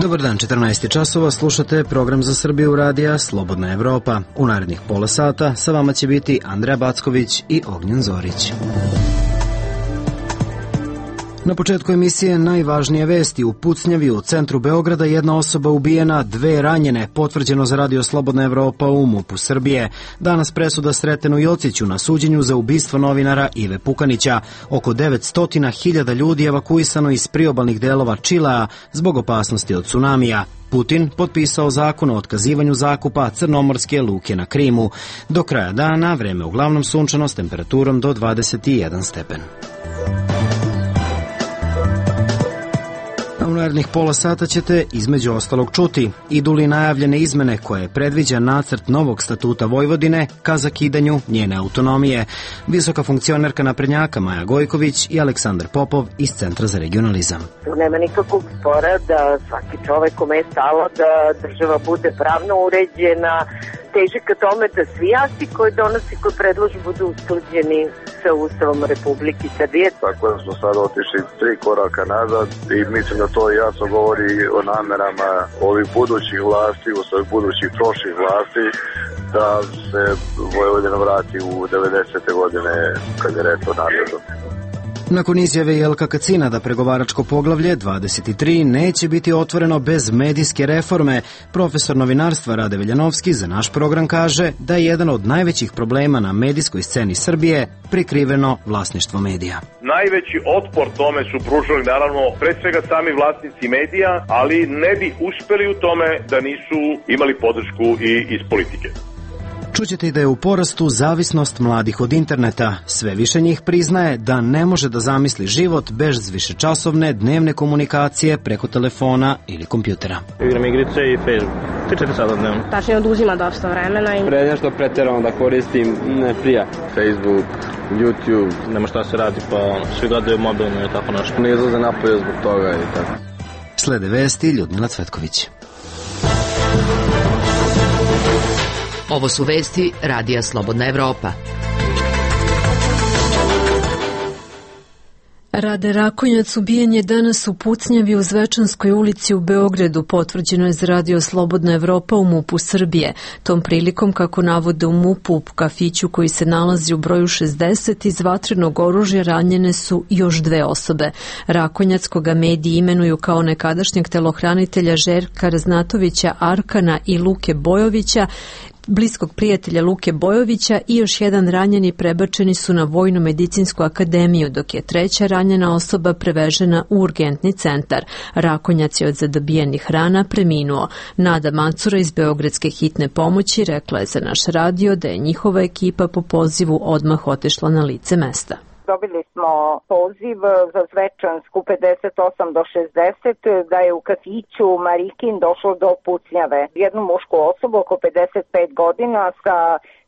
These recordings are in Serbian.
Dobar dan, 14 časova, slušate program za Srbiju radija Slobodna Evropa. U narednih pola sata sa vama će biti Andreja Backović i Ognjen Zorić. Na početku emisije najvažnije vesti. U pucnjavi u centru Beograda jedna osoba ubijena, 2 ranjene, potvrđeno za radio Slobodna Evropa u MUP-u Srbije. Danas presuda Sretenu Jociću na suđenju za ubistvo novinara Ive Pukanića. Oko 900.000 ljudi evakuisano iz priobalnih delova Čilea zbog opasnosti od tsunamija. Putin potpisao zakon o otkazivanju zakupa crnomorske luke na Krimu. Do kraja dana vreme uglavnom sunčano s temperaturom do 21 stepen. U narednih pola sata ćete između ostalog čuti idu li najavljene izmene koje predviđa nacrt novog statuta Vojvodine ka zakidanju njene autonomije. Visoka funkcionerka naprednjaka Maja Gojković i Aleksandar Popov iz Centra za regionalizam. Nema nikakvog spora da svaki čovek kome je stalo da država bude pravno uređena, teži ka tome da svi akti koji donosi, koji predloži, budu usklađeni sa Ustavom Republike Srbije. Tako da smo sad otišli 3 koraka nazad i mislim da to jasno govori o namerama ovih budućih vlasti, ovih budućih prošlih vlasti, da se Vojvodina vrati u 90. godine kad je reč o narodu. Nakon izjave Jelka Kacina da pregovaračko poglavlje 23 neće biti otvoreno bez medijske reforme, profesor novinarstva Rade Veljanovski za naš program kaže da je jedan od najvećih problema na medijskoj sceni Srbije prikriveno vlasništvo medija. Najveći otpor tome su pružili naravno pre svega sami vlasnici medija, ali ne bi uspeli u tome da nisu imali podršku i iz politike. Čućete i da je u porastu zavisnost mladih od interneta. Sve više njih priznaje da ne može da zamisli život bez višečasovne dnevne komunikacije preko telefona ili kompjutera. Igram igrice i Facebook. 3-4 sata dnevno. Tačnije oduzima dosta vremena. Pre nešto preterano da koristim, ne prija. Facebook, YouTube. Nema šta se radi pa svi gledaju mobilno i tako nešto. Ne izlaze napolje zbog toga i tako. Slede vesti Ljudmila Cvetković. Ovo su vesti radija Slobodna Evropa. Rade Rakonjac ubijen je danas u pucnjavi u Zvečanskoj ulici u Beogradu, potvrđeno je za radio Slobodna Evropa u MUP-u Srbije. Tom prilikom, kako navode u MUP-u, u kafiću koji se nalazi u broju 60, iz vatrenog oružja ranjene su još 2 osobe. Rakonjac, koga mediji imenuju kao nekadašnjeg telohranitelja Željka Raznatovića Arkana i Luke Bojovića, bliskog prijatelja Luke Bojovića, i još jedan ranjeni prebačeni su na Vojno-medicinsku akademiju, dok je 3. ranjena osoba prevežena u urgentni centar. Rakonjac je od zadobijenih rana preminuo. Nada Macura iz Beogradske hitne pomoći rekla je za naš radio da je njihova ekipa po pozivu odmah otišla na lice mesta. Dobili smo poziv za Zvečansku 58 do 60, da je u kafiću Marikin došlo do pucnjave. Jednu mušku osobu oko 55 godina sa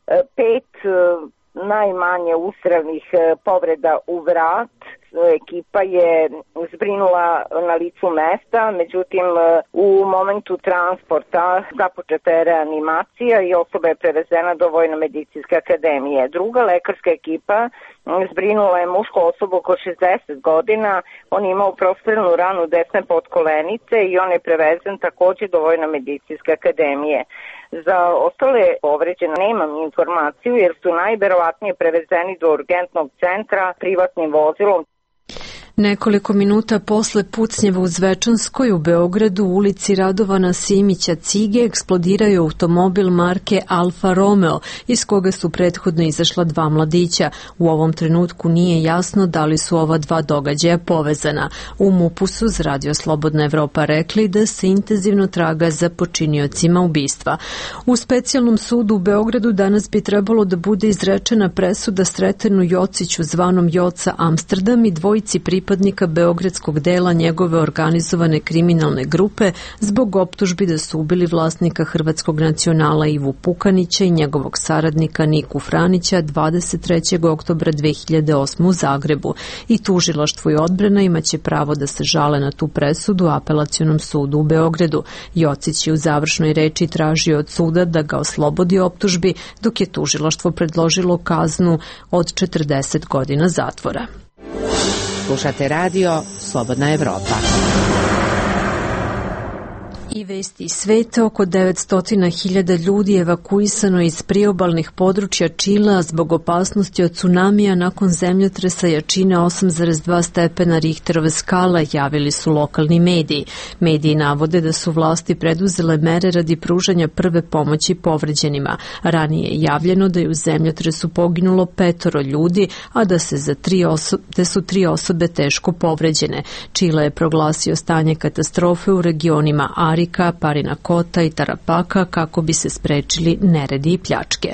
5 najmanje ustrelnih povreda u vrat. Ekipa je zbrinula na licu mesta, međutim u momentu transporta započeta je reanimacija i osoba je prevezena do Vojno-medicinske akademije. Druga lekarska ekipa zbrinula je mušku osobu oko 60 godina, on je imao prostrelnu ranu desne podkolenice i on je prevezen također do Vojno-medicinske akademije. Za ostale povređene nemam informaciju jer su najverovatnije prevezeni do urgentnog centra privatnim vozilom. Nekoliko minuta posle pucnjeva u Zvečanskoj u Beogradu u ulici Radovana Simića Cige eksplodirao je automobil marke Alfa Romeo, iz koga su prethodno izašla 2 mladića. U ovom trenutku nije jasno da li su ova 2 događaja povezana. U MUP-u su za radio Slobodna Evropa rekli da se intenzivno traga za počiniocima ubistva. U specijalnom sudu u Beogradu danas bi trebalo da bude izrečena presuda Sretenu Jociću zvanom Joca Amsterdam i dvojici pripadnika beogradskog dela njegove organizovane kriminalne grupe zbog optužbi da su ubili vlasnika hrvatskog nacionala Ivu Pukanića i njegovog saradnika Niku Franića 23. oktobra 2008. u Zagrebu. I tužilaštvo i odbrana imaće pravo da se žale na tu presudu Apelacionom sudu u Beogradu. Jocić je u završnoj reči tražio od suda da ga oslobodi optužbi, dok je tužilaštvo predložilo kaznu od 40 godina zatvora. Slušate radio Slobodna Evropa. I vesti iz sveta, oko 900.000 ljudi evakuisano iz priobalnih područja Čilea zbog opasnosti od tsunamija nakon zemljotresa jačine 8,2 stepena Richterove skale, javili su lokalni mediji. Mediji navode da su vlasti preduzele mere radi pružanja prve pomoći povređenima. Ranije je javljeno da je u zemljotresu poginulo 5 ljudi, a da su 3 osobe teško povređene. Čile je proglasio stanje katastrofe u regionima Arika, Parinakota i Tarapaka kako bi se sprečili neredi i pljačke.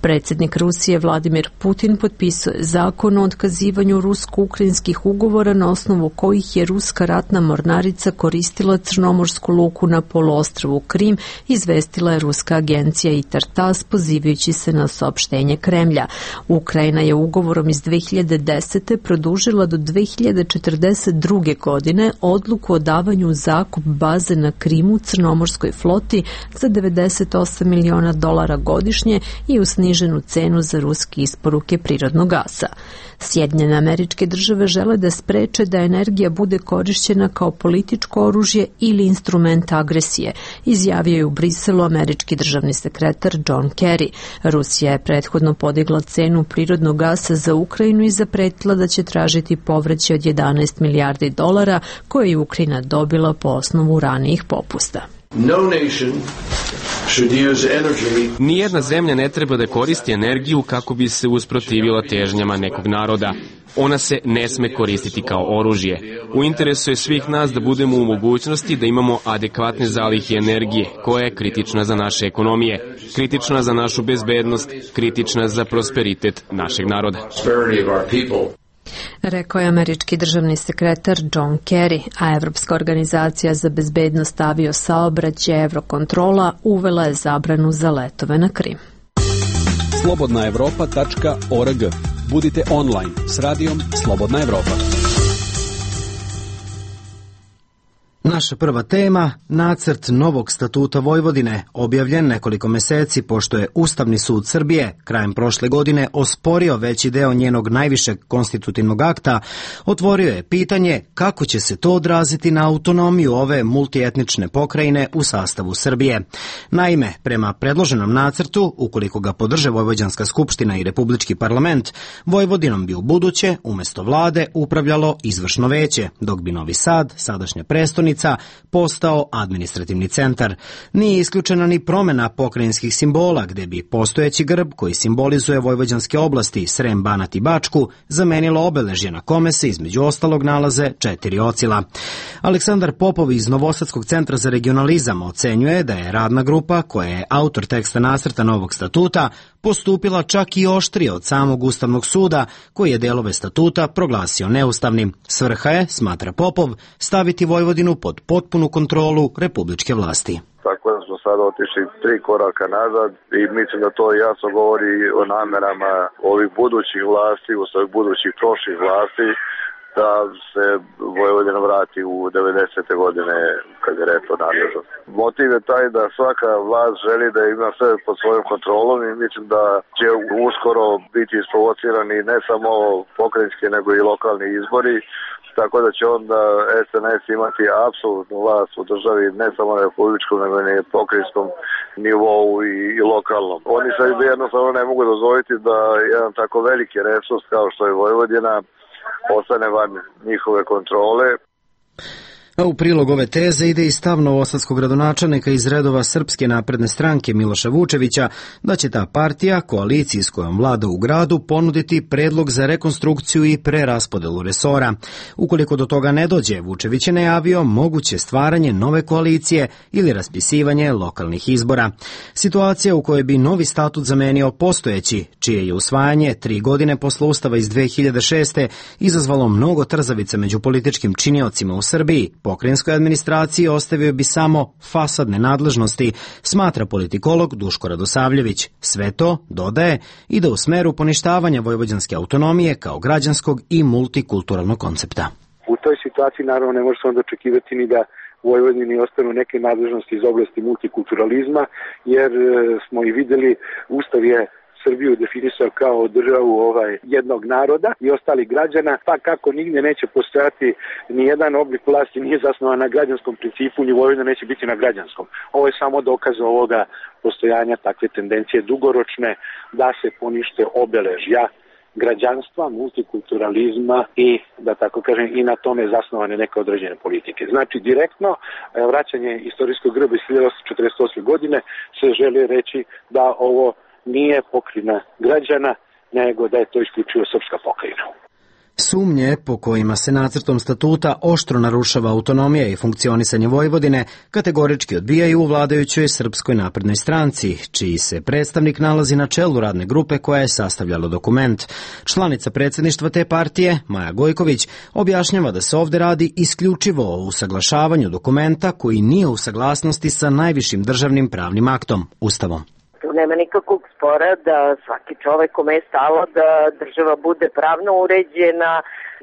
Predsjednik Rusije Vladimir Putin potpisao je zakon o otkazivanju rusko-ukrajinskih ugovora na osnovu kojih je ruska ratna mornarica koristila crnomorsku luku na poluostrvu Krim, izvestila je ruska agencija ITAR-TASS pozivajući se na saopštenje Kremlja. Ukrajina je ugovorom iz 2010. produžila do 2042. godine odluku o davanju u zakup baze na Krimu crnomorskoj floti za $98 miliona godišnje i u sniženu cenu za ruske isporuke prirodnog gasa. Sjedinjene Američke Države žele da spreče da energija bude korišćena kao političko oružje ili instrument agresije, izjavio je u Briselu američki državni sekretar John Kerry. Rusija je prethodno podigla cenu prirodnog gasa za Ukrajinu i zapretila da će tražiti povraćaj od $11 milijardi koje je Ukrajina dobila po osnovu ranijih popusta. Nijedna zemlja ne treba da koristi energiju kako bi se usprotivila težnjama nekog naroda. Ona se ne sme koristiti kao oružje. U interesu je svih nas da budemo u mogućnosti da imamo adekvatne zalihe energije, koja je kritična za naše ekonomije, kritična za našu bezbednost, kritična za prosperitet našeg naroda. Rekao je američki državni sekretar John Kerry, a Evropska organizacija za bezbednost aviosaobraćaja Eurokontrola uvela je zabranu za letove na Krim. slobodnaevropa.org. Budite online s radijom Slobodna Evropa. Naša prva tema, nacrt novog statuta Vojvodine, objavljen nekoliko meseci pošto je Ustavni sud Srbije krajem prošle godine osporio veći deo njenog najvišeg konstitutivnog akta, otvorio je pitanje kako će se to odraziti na autonomiju ove multietnične pokrajine u sastavu Srbije. Naime, prema predloženom nacrtu, ukoliko ga podrže Vojvođanska skupština i Republički parlament, Vojvodinom bi u buduće, umesto vlade, upravljalo izvršno veće, dok bi Novi Sad, sadašnja prestonica, postao administrativni centar. Nije isključena ni promjena pokrajinskih simbola, gde bi postojeći grb koji simbolizuje vojvođanske oblasti Srem, Banat i Bačku zamenilo obeležje na kome se između ostalog nalaze 4 ocila. Aleksandar Popov iz Novosadskog centra za regionalizam ocenjuje da je radna grupa, koja je autor teksta nacrta novog statuta, postupila čak i oštrije od samog Ustavnog suda, koji je delove statuta proglasio neustavnim. Svrha je, smatra Popov, staviti Vojvodinu pod potpunu kontrolu republičke vlasti. Tako da smo sada otišli 3 koraka nazad i mislim da to jasno govori o namerama ovih budućih vlasti, u svojih budućih prošlih vlasti, da se Vojvodina vrati u 90. godine kad je reč o nadležnosti. Motiv je taj da svaka vlast želi da ima sve pod svojom kontrolom i mislim da će uskoro biti isprovocirani ne samo pokrajinski nego i lokalni izbori, tako da će onda SNS imati apsolutnu vlast u državi ne samo na republičkom nego i na pokrajinskom nivou i lokalnom. Oni se jednostavno ne mogu dozvoliti da jedan tako veliki resurs kao što je Vojvodina ostane van njihove kontrole. A u prilog ove teze ide i stav novosadskog gradonačelnika iz redova Srpske napredne stranke Miloša Vučevića da će ta partija, koaliciji s kojom vlada u gradu, ponuditi predlog za rekonstrukciju i preraspodelu resora. Ukoliko do toga ne dođe, Vučević je najavio moguće stvaranje nove koalicije ili raspisivanje lokalnih izbora. Situacija u kojoj bi novi statut zamenio postojeći, čije je usvajanje 3 godine posle Ustava iz 2006. izazvalo mnogo trzavica među političkim činiocima u Srbiji, pokrajinskoj administraciji ostavio bi samo fasadne nadležnosti, smatra politikolog Duško Radosavljević. Sve to, dodaje, ide u smeru poništavanja vojvođanske autonomije kao građanskog i multikulturalnog koncepta. U toj situaciji naravno ne može se onda očekivati ni da u Vojvodini ostanu neke nadležnosti iz oblasti multikulturalizma, jer smo i videli, Ustav je Srbiju definisao kao državu jednog naroda i ostalih građana, pa kako nigdje neće postojati ni jedan oblik vlasti nije zasnovan na građanskom principu, ni Vojvodina neće biti na građanskom. Ovo je samo dokaz ovoga postojanja takve tendencije dugoročne da se ponište obeležja građanstva, multikulturalizma i, da tako kažem, i na tome zasnovane neke određene politike. Znači, direktno vraćanje istorijskog grba iz 1848. godine se želi reći da ovo nije pokrajina građana, nego da je to isključivo srpska pokrajina. Sumnje po kojima se nacrtom statuta oštro narušava autonomija i funkcionisanje Vojvodine kategorički odbijaju u vladajućoj Srpskoj naprednoj stranci, čiji se predstavnik nalazi na čelu radne grupe koja je sastavljala dokument. Članica predsjedništva te partije, Maja Gojković, objašnjava da se ovde radi isključivo o usaglašavanju dokumenta koji nije u saglasnosti sa najvišim državnim pravnim aktom, Ustavom. Tu nema nikakvog spora da svaki čovek kome je stalo da država bude pravno uređena,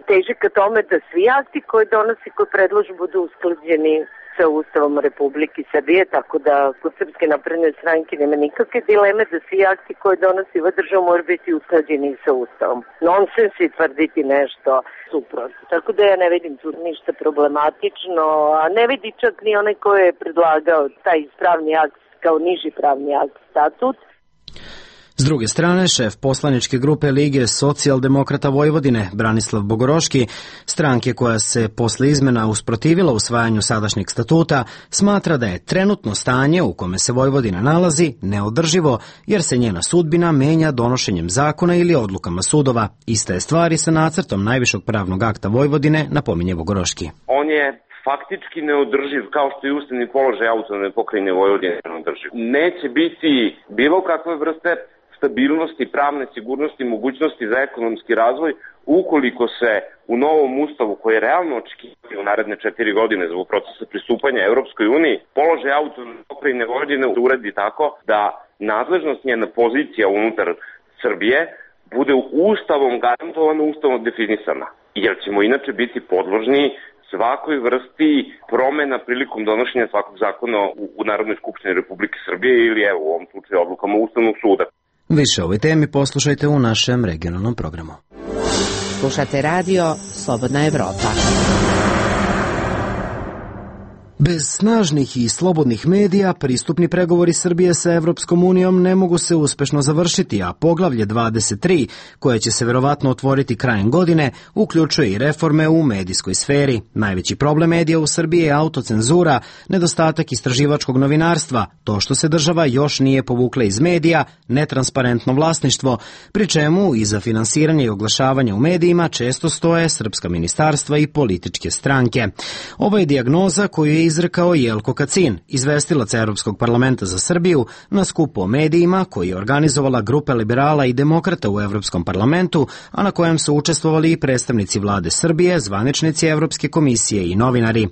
teži ka tome da svi akti koje donosi, koje predloži, budu usklađeni sa Ustavom Republike Srbije, tako da kod Srpske napredne stranke nema nikakve dileme da svi akti koje donosi ova država mora biti usklađeni sa Ustavom. Nonsens je tvrditi nešto suprotno. Tako da ja ne vidim tu ništa problematično, a ne vidi čak ni onaj ko je predlagao taj pravni akt kao niži pravni akt statut. S druge strane, šef poslaničke grupe Lige socijaldemokrata Vojvodine, Branislav Bogoroški, stranke koja se posle izmena usprotivila usvajanju sadašnjeg statuta, smatra da je trenutno stanje u kome se Vojvodina nalazi neodrživo, jer se njena sudbina menja donošenjem zakona ili odlukama sudova. Ista je stvar i sa nacrtom najvišeg pravnog akta Vojvodine, napominje Bogoroški. On je faktički neodrživ, kao što je ustavni položaj autonomne pokrajine Vojvodine neodrživ. Neće biti bilo kakve vrste stabilnosti, pravne sigurnosti, mogućnosti za ekonomski razvoj ukoliko se u novom ustavu, koji je realno očekivati u naredne 4 godine zbog procesa pristupanja Evropskoj uniji, položaj autonomne pokrajine Vojvodine uredi tako da nadležnost njena pozicija unutar Srbije bude ustavom garantovana, ustavom definisana. Jer ćemo inače biti podložni svakoj vrsti promena prilikom donošenja svakog zakona u Narodnoj skupštini Republike Srbije ili u ovom slučaju odlukama Ustavnog suda. Više o ovoj temi poslušajte u našem regionalnom programu. Slušate radio Slobodna Evropa. Bez snažnih i slobodnih medija pristupni pregovori Srbije sa Evropskom unijom ne mogu se uspešno završiti, a poglavlje 23, koje će se verovatno otvoriti krajem godine, uključuje i reforme u medijskoj sferi. Najveći problem medija u Srbiji je autocenzura, nedostatak istraživačkog novinarstva, to što se država još nije povukla iz medija, netransparentno vlasništvo, pri čemu i za finansiranje i oglašavanje u medijima često stoje srpska ministarstva i političke stranke. Ovo je dijagnoza koju je izrekao Jelko Kacin, izvestilac Evropskog parlamenta za Srbiju, na skupu o medijima koji je organizovala grupa liberala i demokrata u Evropskom parlamentu, a na kojem su učestvovali i predstavnici vlade Srbije, zvaničnici Evropske komisije i novinari.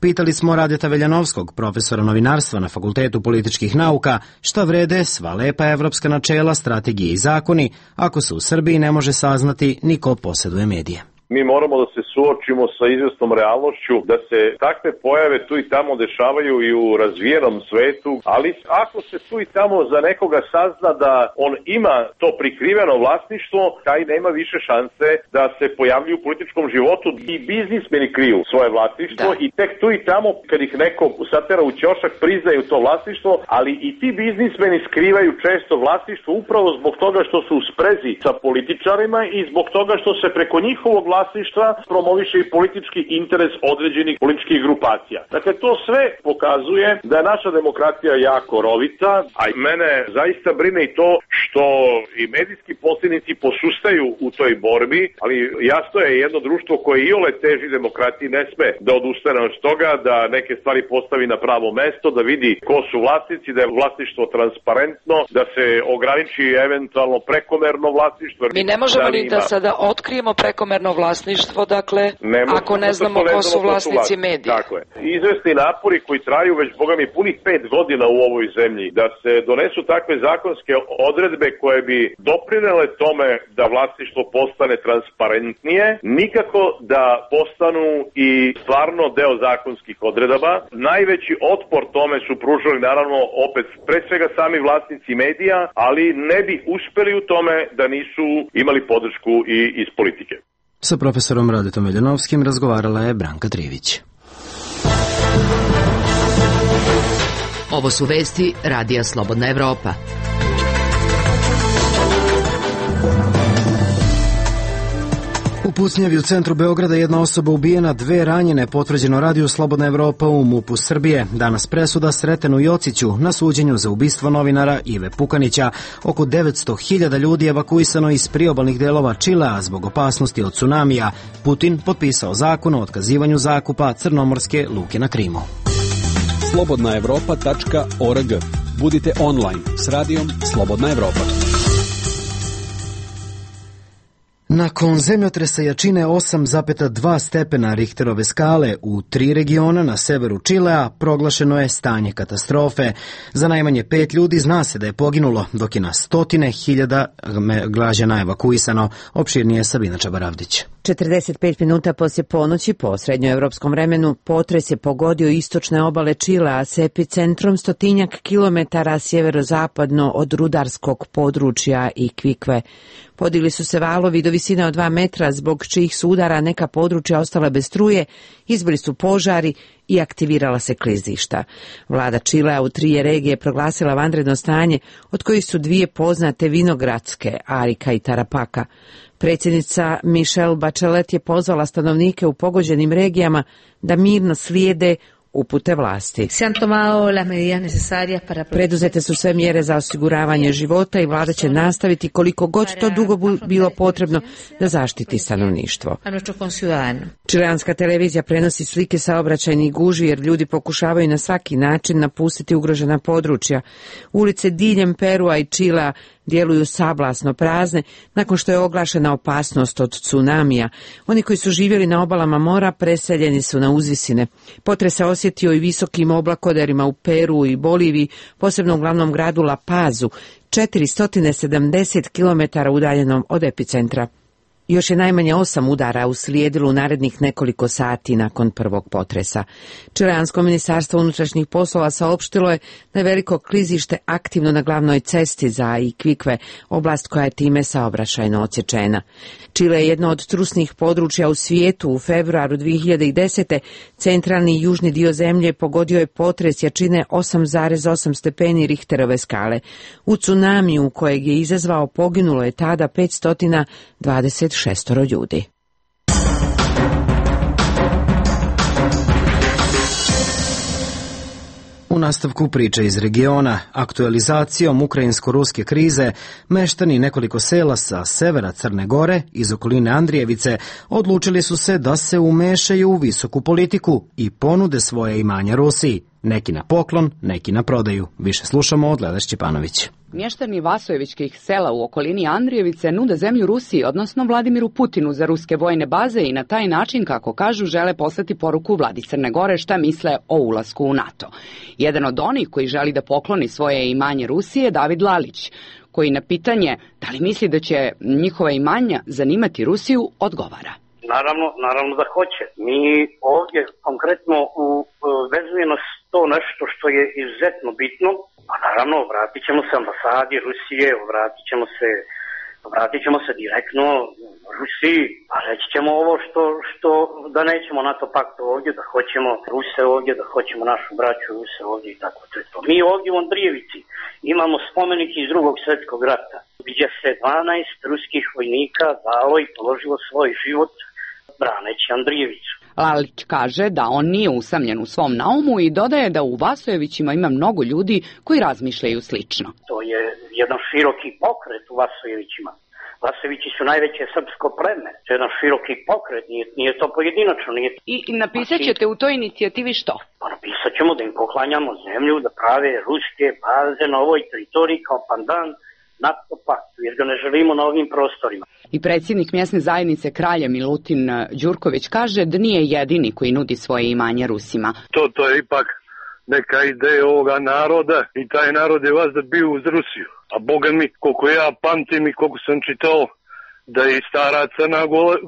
Pitali smo Radeta Veljanovskog, profesora novinarstva na Fakultetu političkih nauka, šta vrede sva lepa evropska načela, strategije i zakoni, ako se u Srbiji ne može saznati ni ko posjeduje medije. Mi moramo da se suočimo sa izvesnom realnošću, da se takve pojave tu i tamo dešavaju i u razvijenom svetu, ali ako se tu i tamo za nekoga sazna da on ima to prikriveno vlasništvo, taj nema više šanse da se pojavljuju u političkom životu. I biznismeni kriju svoje vlasništvo i tek tu i tamo kad ih neko satera u ćošak priznaju to vlasništvo, ali i ti biznismeni skrivaju često vlasništvo upravo zbog toga što su u sprezi sa političarima i zbog toga što se preko njihovog vlasništva promoviše i politički interes određenih političkih grupacija. Dakle, to sve pokazuje da je naša demokratija jako rovita, a mene zaista brine i to što i medijski posljednici posustaju u toj borbi, ali jasno je jedno društvo koje iole teži demokratiji ne sme da odustane od toga, da neke stvari postavi na pravo mesto, da vidi ko su vlasnici, da je vlasništvo transparentno, da se ograniči eventualno prekomerno vlasništvo. Mi ne možemo ni da sada otkrijemo prekomerno vlasništvo vlasništvo, dakle, ako ne znamo ko su vlasnici medija. Dakle, izvesni napori koji traju već, boga mi, punih 5 godina u ovoj zemlji, da se donesu takve zakonske odredbe koje bi doprinele tome da vlasništvo postane transparentnije, nikako da postanu i stvarno deo zakonskih odredaba. Najveći otpor tome su pružali, naravno, opet pre svega sami vlasnici medija, ali ne bi uspeli u tome da nisu imali podršku i iz politike. Sa profesorom Radetom Veljanovskim razgovarala je Branka Trivić. Ovo su vesti Radija Slobodna Evropa. U pucnjavi u centru Beograda jedna osoba ubijena, 2 ranjene, potvrđeno Radiju Slobodna Evropa u MUP-u Srbije. Danas presuda Sretenu Jociću na suđenju za ubistvo novinara Ive Pukanića. Oko 900.000 ljudi evakuisano iz priobalnih delova Čilea zbog opasnosti od tsunamija. Putin potpisao zakon o otkazivanju zakupa crnomorske luke na Krimu. slobodnaevropa.org. Budite online s radijom Slobodna Evropa. Nakon zemljotresa jačine 8,2 stepena Richterove skale u 3 regiona na severu Čilea proglašeno je stanje katastrofe. Za najmanje 5 ljudi zna se da je poginulo, dok je na 100.000 građana evakuisano. Opširnije Sabina Čabaravdić. 45 minuta poslije ponoći po srednjoevropskom vremenu potres je pogodio istočne obale Čilea s epicentrom 100 kilometara sjeverozapadno od rudarskog područja Iquique. Podigli su se valovi do visine od 2 metra, zbog čijih su udara neka područja ostala bez struje, izbili su požari i aktivirala se klizišta. Vlada Čilea u 3 regije proglasila vanredno stanje, od kojih su 2 poznate vinogradske, Arica i Tarapaka. Predsjednica Michelle Bachelet je pozvala stanovnike u pogođenim regijama da mirno slijede upute vlasti. Preduzete su sve mjere za osiguravanje života i vlada će nastaviti koliko god to dugo bilo potrebno da zaštiti stanovništvo. Čileanska televizija prenosi slike saobraćajnih gužvi jer ljudi pokušavaju na svaki način napustiti ugrožena područja. Ulice diljem Perua i Čilea djeluju sablasno prazne nakon što je oglašena opasnost od tsunamija. Oni koji su živjeli na obalama mora preseljeni su na uzvisine. Potres se osjetio i visokim oblakoderima u Peru i Boliviji, posebno u glavnom gradu La Pazu, 470 km udaljenom od epicentra. Još je najmanje 8 udara uslijedilo u narednih nekoliko sati nakon prvog potresa. Čileansko ministarstvo unutrašnjih poslova saopštilo je da je veliko klizište aktivno na glavnoj cesti za Iquique, oblast koja je time saobraćajno odsječena. Čile je jedno od trusnih područja u svijetu. U februaru 2010. centralni i južni dio zemlje pogodio je potres jačine 8,8 stepeni Richterove skale. U tsunamiju kojeg je izazvao poginulo je tada 526 ljudi. U nastavku priče iz regiona, aktualizacijom ukrajinsko-ruske krize, meštani nekoliko sela sa severa Crne Gore, iz okoline Andrijevice, odlučili su se da se umešaju u visoku politiku i ponude svoje imanja Rusiji. Neki na poklon, neki na prodaju. Više slušamo od Leda Šćepanović. Mještani Vasojevičkih sela u okolini Andrijevice nude zemlju Rusiji, odnosno Vladimiru Putinu, za ruske vojne baze i na taj način, kako kažu, žele poslati poruku vladi Crne Gore šta misle o ulasku u NATO. Jedan od onih koji želi da pokloni svoje imanje Rusiji je David Lalić, koji na pitanje da li misli da će njihova imanja zanimati Rusiju odgovara. Naravno da hoće. Mi ovdje konkretno vezuje nas to nešto što je izuzetno bitno, a naravno vratit ćemo se ambasadi Rusije, vratit ćemo se direktno Rusiji, a reći ćemo ovo što da nećemo NATO pakt ovdje, da hoćemo Ruse ovdje, da hoćemo našu braću Ruse ovdje i tako to. Mi ovdje u Andrijevici imamo spomenik iz Drugog svjetskog rata, gdje se 12 ruskih vojnika dalo i položilo svoj život braneći Andrijevicu. Lalić kaže da on nije usamljen u svom naumu i dodaje da u Vasojevićima ima mnogo ljudi koji razmišljaju slično. To je jedan široki pokret u Vasojevićima. Vasojevići su najveće srpsko pleme. To je jedan široki pokret, nije to pojedinačno. I napisat ćete u toj inicijativi što? Pa napisat ćemo da im poklanjamo zemlju, da prave ruske baze na ovoj teritoriji kao pandan NATO paktu, jer ga ne želimo na ovim prostorima. I predsjednik mjesne zajednice Kralja Milutin Đurković kaže da nije jedini koji nudi svoje imanje Rusima. To je ipak neka ideja ovoga naroda i taj narod je vazda bio uz Rusiju. A boga mi, koliko ja pamtim i koliko sam čitao, da je i stara Crna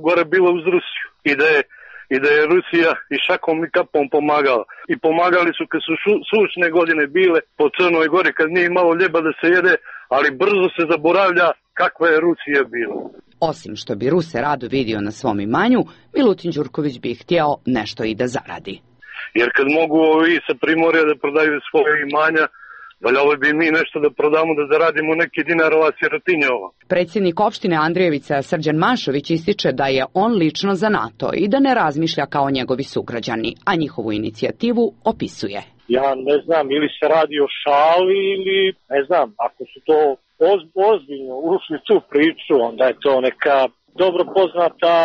Gora bila uz Rusiju. I da je Rusija i šakom i kapom pomagala. I pomagali su kad su sušne godine bile po Crnoj Gori, kad nije imalo ljeba da se jede, ali brzo se zaboravlja kakva je Rusija bila. Osim što bi Ruse rado vidio na svom imanju, Milutin Đurković bi htjeo nešto i da zaradi. Jer kad mogu ovi sa Primorja da prodaju svoje imanja, valjalo bi mi nešto da prodamo, da zaradimo neki dinar, ova sirotinja ova. Predsjednik opštine Andrijevica Srđan Mašović ističe da je on lično za NATO i da ne razmišlja kao njegovi sugrađani, a njihovu inicijativu opisuje. Ja ne znam, ili se radi o šali ili ne znam, ako su to ozbiljno ušli tu priču, onda je to neka dobro poznata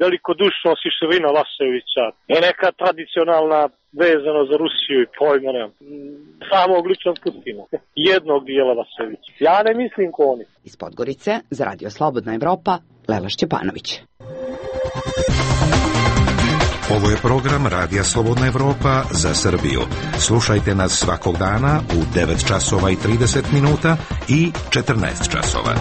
velikodušnost i širina Vasevića i neka tradicionalna vezano za Rusiju i pojma nemam. Samog ličnog Putina, jednog dijela Vasevića. Ja ne mislim ko oni. Iz Podgorice, za Radio Slobodna Evropa, Lela Šćepanović. Ovo je program Radija Slobodna Evropa za Srbiju. Slušajte nas svakog dana u 9 časova i 30 minuta i 14 časova.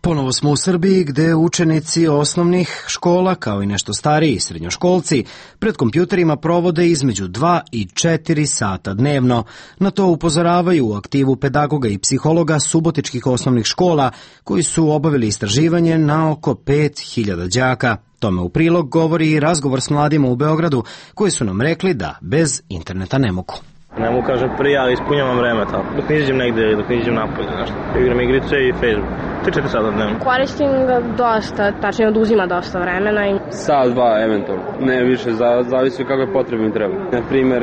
Ponovo smo u Srbiji gde učenici osnovnih škola, kao i nešto stariji srednjoškolci, pred kompjuterima provode između 2 i 4 sata dnevno. Na to upozoravaju u aktivu pedagoga i psihologa subotičkih osnovnih škola, koji su obavili istraživanje na oko 5000 đaka. Tome u prilog govori i razgovor s mladima u Beogradu, koji su nam rekli da bez interneta ne mogu. Ne mogu kažem prije, ali ispunjavam vreme tako. Dok ne izađem negde, dok ne izađem napolje, nešto. Igram igrice i Facebook. 3-4 sata dnevno. Koristim ga dosta, tačnije oduzima dosta vremena. Sat, dva, eventualno. Ne više, zavisi kako je potrebno i treba. Na primjer,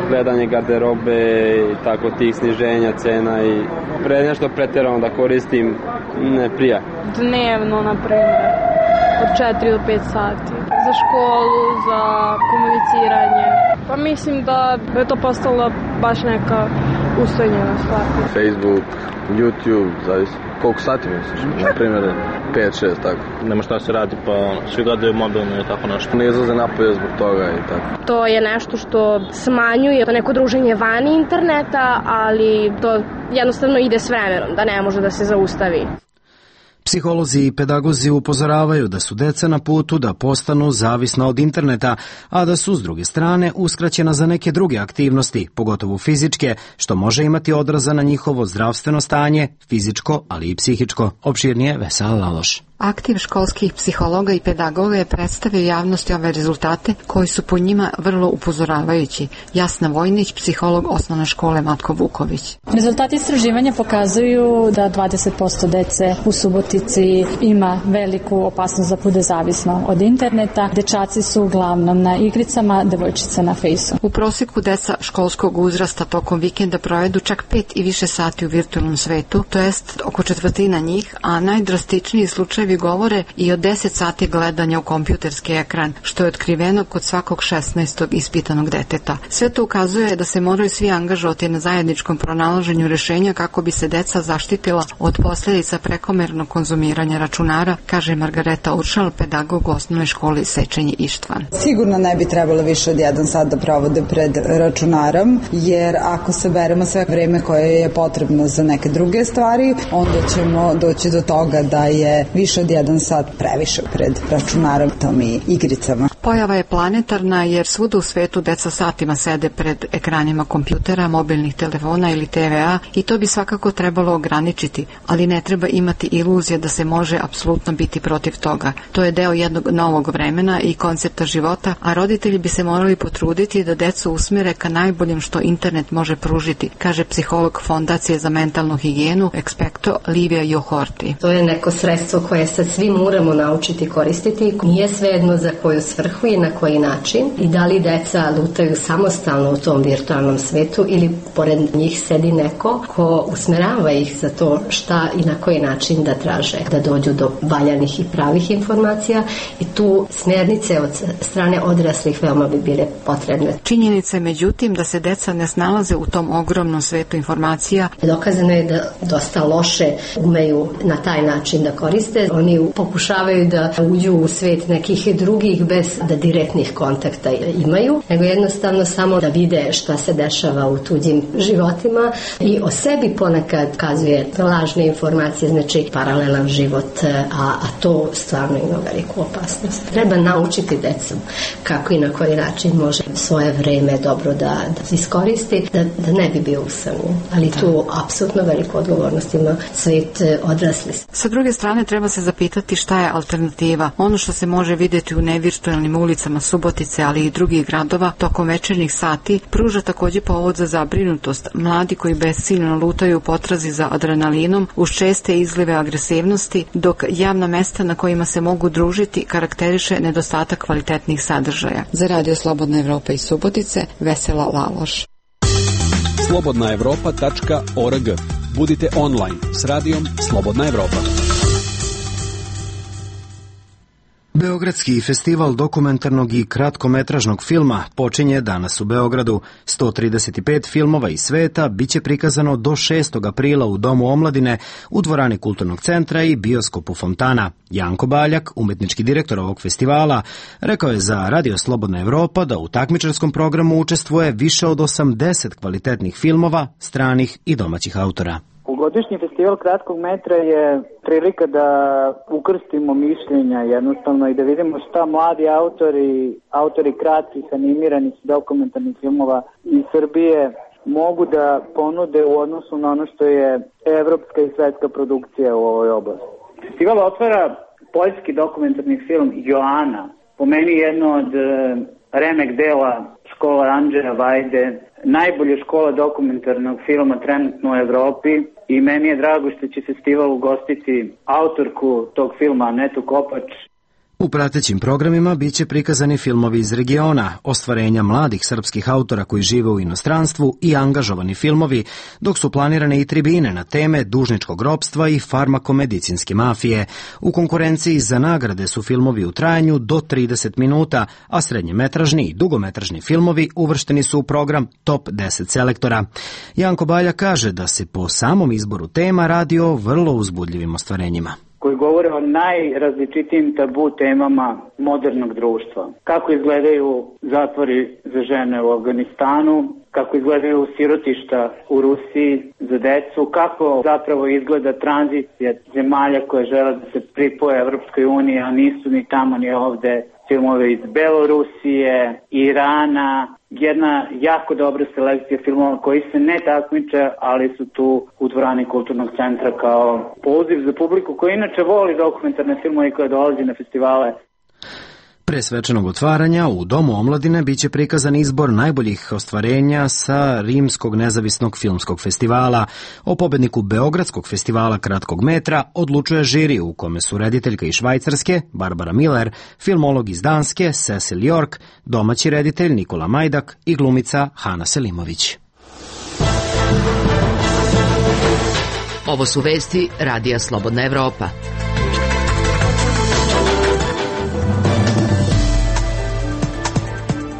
gledanje garderobe i tako tih sniženja cena i nešto pretjerano da koristim, ne prija. Dnevno, na primjer, od 4 do 5 sati. Za školu, za komuniciranje. Pa mislim da je to postalo baš neka ustojnjena stvar. Facebook, YouTube, zavisi. Koliko sati misliš? Na primjer 5-6, tako. Nema šta se radi, pa svi gledaju mobilno i tako nešto. Ne izlaze napolje zbog toga i tako. To je nešto što smanjuje to neko druženje vani interneta, ali to jednostavno ide s vremenom, da ne može da se zaustavi. Psiholozi i pedagozi upozoravaju da su deca na putu da postanu zavisna od interneta, a da su s druge strane uskraćena za neke druge aktivnosti, pogotovo fizičke, što može imati odraza na njihovo zdravstveno stanje, fizičko, ali i psihičko. Opširnije Vesela Laloš. Aktiv školskih psihologa i pedagoga je predstavio javnosti ove rezultate koji su po njima vrlo upozoravajući. Jasna Vojnić, psiholog osnovne škole Matko Vuković. Rezultati istraživanja pokazuju da 20% dece u Subotici ima veliku opasnost da bude zavisno od interneta. Dečaci su uglavnom na igricama, devojčice na fejsu. U prosjeku deca školskog uzrasta tokom vikenda provedu čak 5 i više sati u virtualnom svetu, to jest oko četvrtina njih, a najdrastičniji slučaj govore i o 10 sati gledanja u kompjuterski ekran, što je otkriveno kod svakog 16. ispitanog deteta. Sve to ukazuje da se moraju svi angažovati na zajedničkom pronalaženju rešenja kako bi se deca zaštitila od posljedica prekomernog konzumiranja računara, kaže Margareta Uršal, pedagog u osnovnoj školi Sečenje Ištvan. Sigurno ne bi trebalo više od 1 sat da provode pred računarom, jer ako saberemo sve vreme koje je potrebno za neke druge stvari, onda ćemo doći do toga da je više od 1 sat previše pred računarom, tom i igricama. Pojava je planetarna jer svuda u svetu deca satima sede pred ekranima kompjutera, mobilnih telefona ili TVA i to bi svakako trebalo ograničiti, ali ne treba imati iluzija da se može apsolutno biti protiv toga. To je deo jednog novog vremena i koncepta života, a roditelji bi se morali potruditi da decu usmjere ka najboljem što internet može pružiti, kaže psiholog Fondacije za mentalnu higijenu Expecto Livia Johorti. To je neko sredstvo koje sad svi moramo naučiti koristiti. Nije svejedno za koju svrhu svrhu i na koji način i da li deca lutaju samostalno u tom virtualnom svetu ili pored njih sedi neko ko usmerava ih za to šta i na koji način da traže da dođu do valjanih i pravih informacija i tu smjernice od strane odraslih veoma bi bile potrebne. Činjenica je međutim da se deca ne snalaze u tom ogromnom svetu informacija. Dokazano je da dosta loše umeju na taj način da koriste. Oni pokušavaju da uđu u svet nekih drugih bez da direktnih kontakta imaju, nego jednostavno samo da vide šta se dešava u tuđim životima i o sebi ponekad kazuje lažne informacije, znači paralelan život, a to stvarno ima veliku opasnost. Treba naučiti decu kako i na koji način može svoje vreme dobro da iskoristi, da ne bi bio usamljen. Ali tu apsolutno veliku odgovornost ima svet odrasli. Sa druge strane treba se zapitati šta je alternativa. Ono što se može vidjeti u nevirtualnim ulicama Subotice, ali i drugih gradova tokom večernjih sati, pruža također povod za zabrinutost. Mladi koji besciljno lutaju u potrazi za adrenalinom uz česte izlive agresivnosti, dok javna mesta na kojima se mogu družiti karakteriše nedostatak kvalitetnih sadržaja. Za Radio Slobodna Evropa iz Subotice, Vesela Laloš. slobodnaevropa.org. Budite online s radijom Slobodna Evropa. Beogradski festival dokumentarnog i kratkometražnog filma počinje danas u Beogradu. 135 filmova iz sveta biće prikazano do 6. aprila u Domu omladine, u dvorani Kulturnog centra i bioskopu Fontana. Janko Baljak, umetnički direktor ovog festivala, rekao je za Radio Slobodna Evropa da u takmičarskom programu učestvuje više od 80 kvalitetnih filmova, stranih i domaćih autora. Godišnji festival kratkog metra je prilika da ukrstimo mišljenja jednostavno i da vidimo šta mladi autori kratkih animiranih dokumentarnih filmova iz Srbije mogu da ponude u odnosu na ono što je evropska i svetska produkcija u ovoj oblasti. Festival otvara poljski dokumentarni film Joana, po meni jedno od remek dela škola Andžeja Vajde, najbolja škola dokumentarnog filma trenutno u Evropi i meni je drago što će festival ugostiti autorku tog filma Anetu Kopač. U pratećim programima biće prikazani filmovi iz regiona, ostvarenja mladih srpskih autora koji žive u inostranstvu i angažovani filmovi, dok su planirane i tribine na teme dužničkog ropstva i farmakomedicinske mafije. U konkurenciji za nagrade su filmovi u trajanju do 30 minuta, a srednjemetražni i dugometražni filmovi uvršteni su u program Top 10 selektora. Janko Balja kaže da se po samom izboru tema radi o vrlo uzbudljivim ostvarenjima, koji govore o najrazličitijim tabu temama modernog društva. Kako izgledaju zatvori za žene u Afganistanu, kako izgledaju sirotišta u Rusiji za decu, kako zapravo izgleda tranzicija zemalja koje žele da se pripoje Evropskoj uniji, a nisu ni tamo ni ovde, filmove iz Belorusije, Irana, jedna jako dobra selekcija filmova koji se ne takmiče, ali su tu u dvorani Kulturnog centra kao poziv za publiku koja inače voli dokumentarne filmove i koja dolazi na festivale. Pre svečanog otvaranja u Domu omladine biće prikazan izbor najboljih ostvarenja sa Rimskog nezavisnog filmskog festivala. O pobedniku Beogradskog festivala kratkog metra odlučuje žiri u kome su rediteljka iz Švajcarske, Barbara Miller, filmolog iz Danske, Cecil York, domaći reditelj Nikola Majdak i glumica Hana Selimović. Ovo su vesti Radija Slobodna Evropa.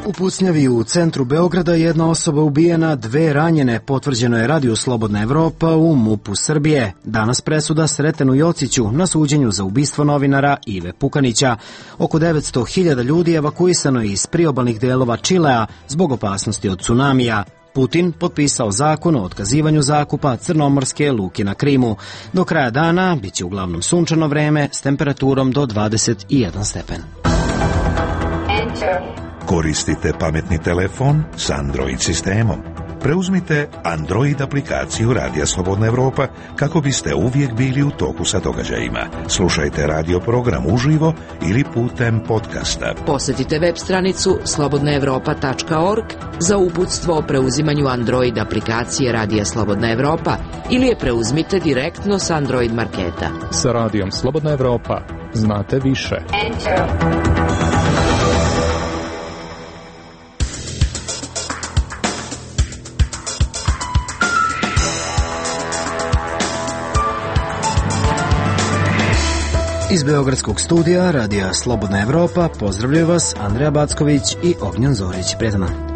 U pucnjavi u centru Beograda jedna osoba ubijena, 2 ranjene, potvrđeno je Radio Slobodna Evropa u MUP-u Srbije. Danas presuda Sretenu Jociću na suđenju za ubistvo novinara Ive Pukanića. Oko 900.000 ljudi evakuisano je iz priobalnih delova Čilea zbog opasnosti od tsunamija. Putin potpisao zakon o otkazivanju zakupa crnomorske luke na Krimu. Do kraja dana biće uglavnom sunčano vreme s temperaturom do 21 stepen. Koristite pametni telefon s Android sistemom. Preuzmite Android aplikaciju Radija Slobodna Evropa kako biste uvijek bili u toku sa događajima. Slušajte radio program uživo ili putem podcasta. Posjetite web stranicu slobodnaevropa.org za uputstvo o preuzimanju Android aplikacije Radija Slobodna Evropa ili je preuzmite direktno s Android marketa. Sa Radijom Slobodna Evropa znate više. Enter. Iz Beogradskog studija Radija Slobodna Evropa pozdravljaju vas Andreja Backović i Ognjan Zorić. Prijetan dan.